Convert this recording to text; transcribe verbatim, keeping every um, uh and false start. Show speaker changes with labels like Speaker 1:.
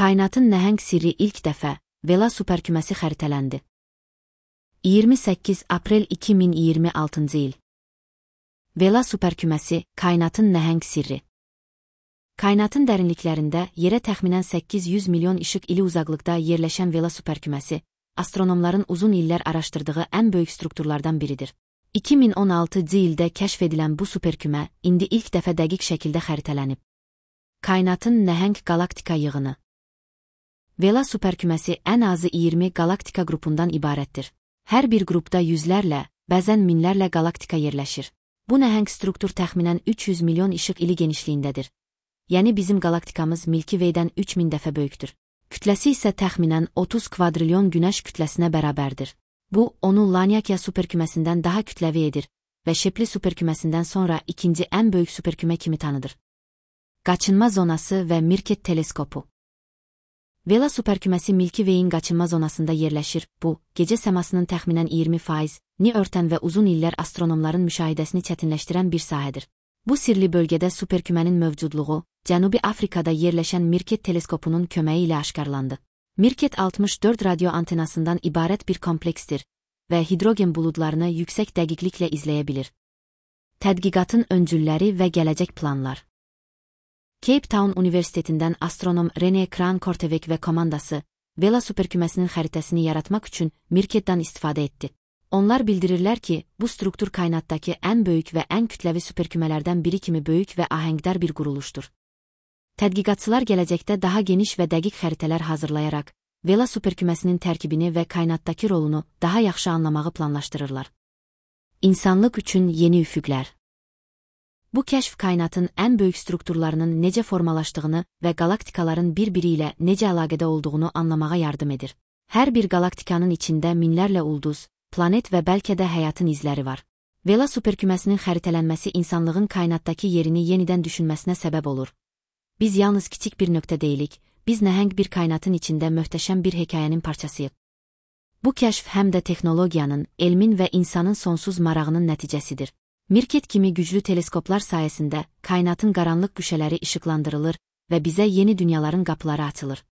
Speaker 1: Kainatın nəhəng sirri ilk dəfə Vela superküməsi xəritələndi. iyirmi səkkiz aprel iki min iyirmi altıncı il. Vela superküməsi, kainatın nəhəng sirri. Kainatın dərinliklərində yerə təxminən səkkiz yüz milyon işıq ili uzaqlıqda yerləşən Vela superküməsi, astronomların uzun illər araşdırdığı ən böyük strukturlardan biridir. iki min on altıncı ildə kəşf edilən bu superkümə indi ilk dəfə dəqiq şəkildə xəritələnib. Kainatın nəhəng galaktika yığını. Vela superküməsi ən azı iyirmi galaktika qrupundan ibarətdir. Hər bir qrupda yüzlərlə, bəzən minlərlə galaktika yerləşir. Bu nəhəng struktur təxminən üç yüz milyon işıq ili genişliyindədir. Yəni bizim galaktikamız Milky Way-dən üç min dəfə böyükdür. Kütləsi isə təxminən otuz kvadrilyon günəş kütləsinə bərabərdir. Bu, onu Laniakea superküməsindən daha kütləvi edir və Shapley superküməsindən sonra ikinci ən böyük superkümə kimi tanıdır. Qaçınma zonası və Mirket teleskopu. Vela superküməsi Milky Way-in qaçınma zonasında yerləşir. Bu, gecə səmasının təxminən iyirmi faizini örtən və uzun illər astronomların müşahidəsini çətinləşdirən bir sahədir. Bu sirli bölgədə superkümənin mövcudluğu, Cənubi Afrikada yerləşən Mirket teleskopunun köməyi ilə aşkarlandı. Mirket altmış dörd radio antenasından ibarət bir kompleksdir və hidrogen buludlarını yüksək dəqiqliklə izləyə bilir. Tədqiqatın öncülləri və gələcək planlar. Cape Town Universitetindən astronom René Kran-Korteweg və komandası Vela superküməsinin xəritəsini yaratmaq üçün Mirketdən istifadə etdi. Onlar bildirirlər ki, bu struktur kainatdakı ən böyük və ən kütləvi superkümələrdən biri kimi böyük və ahəngdar bir quruluşdur. Tədqiqatçılar gələcəkdə daha geniş və dəqiq xəritələr hazırlayaraq, Vela superküməsinin tərkibini və kainatdakı rolunu daha yaxşı anlamağı planlaşdırırlar. İnsanlıq üçün yeni üfüqlər. Bu kəşf kainatın ən böyük strukturlarının necə formalaşdığını və galaktikaların bir-biri ilə necə əlaqədə olduğunu anlamağa yardım edir. Hər bir galaktikanın içində minlərlə ulduz, planet və bəlkə də həyatın izləri var. Vela superküməsinin xəritələnməsi insanlığın kainatdakı yerini yenidən düşünməsinə səbəb olur. Biz yalnız kiçik bir nöqtə deyilik, biz nəhəng bir kainatın içində möhtəşəm bir hekayənin parçasıyıq. Bu kəşf həm də texnologiyanın, elmin və insanın sonsuz marağının nəticəsidir. Mirket kimi güclü teleskoplar sayəsində kainatın qaranlıq güşələri işıqlandırılır və bizə yeni dünyaların qapıları açılır.